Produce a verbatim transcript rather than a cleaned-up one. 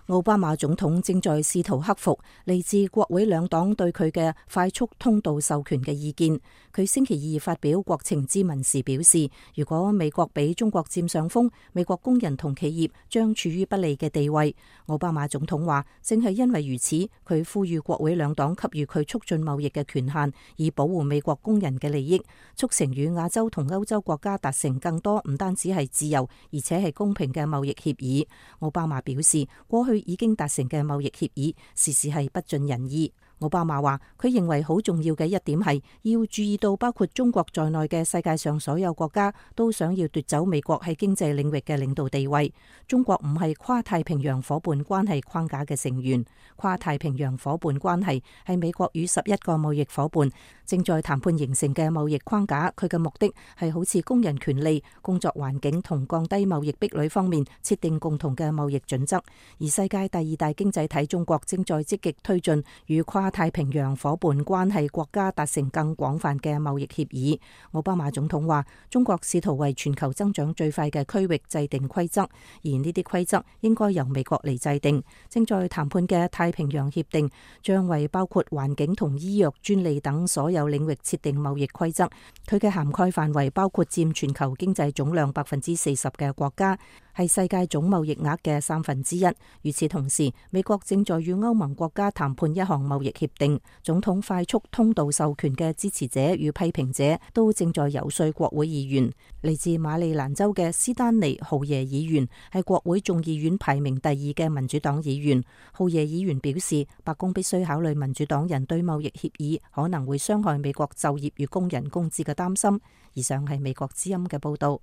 奧巴馬總統正在試圖克服嚟自國會兩黨對佢嘅快速通道授權嘅意見。佢星期二發表國情咨文時表示，如果美國俾中國佔上風，美國工人同企業將處於不利嘅地位。奧巴馬總統話，正係因為如此，佢呼籲國會兩黨給予佢促進貿易嘅權限，以保護美國工人嘅利益，促成與亞洲同歐洲國家達成更多唔單止係自由，而且係公平嘅貿易協議。奧巴馬表示，過去已經達成嘅貿易協議，時時係不盡人意。奧巴馬話，佢認為好重要嘅一點係要注意到，包括中國在內嘅世界上所有國家都想要奪走美國喺經濟領域嘅領導地位。中國唔係跨太平洋夥伴關係框架嘅成員，跨太平洋夥伴關係係美國與十一個貿易夥伴正在談判形成嘅貿易框架。佢嘅目的係好似工人權利、工作環境同降低貿易壁壘方面設定共同嘅貿易準則。而世界第二大經濟體中國正在積極推進與跨太平洋夥伴關係國家達成更廣泛嘅貿易協議。奧巴馬總統話，中國試圖為全球增長最快嘅區域制定規則，而呢啲規則應該由美國嚟制定。正在談判嘅太平洋協定將為包括環境同醫藥專利等所有領域設定貿易規則，佢嘅涵蓋範圍包括佔全球經濟總量百分之四十嘅國家，係世界總貿易額嘅三分之一。與此同時，美國正在與歐盟國家談判一項貿易協定。總統快速通道授權嘅支持者與批評者都正在游說國會議員。嚟自馬里蘭州嘅斯丹尼豪耶議員係國會眾議院排名第二嘅民主黨議員。豪耶議員表示，白宮必須考慮民主黨人對貿易協議可能會傷害美國就業與工人工資嘅擔心。以上係美國之音嘅報道。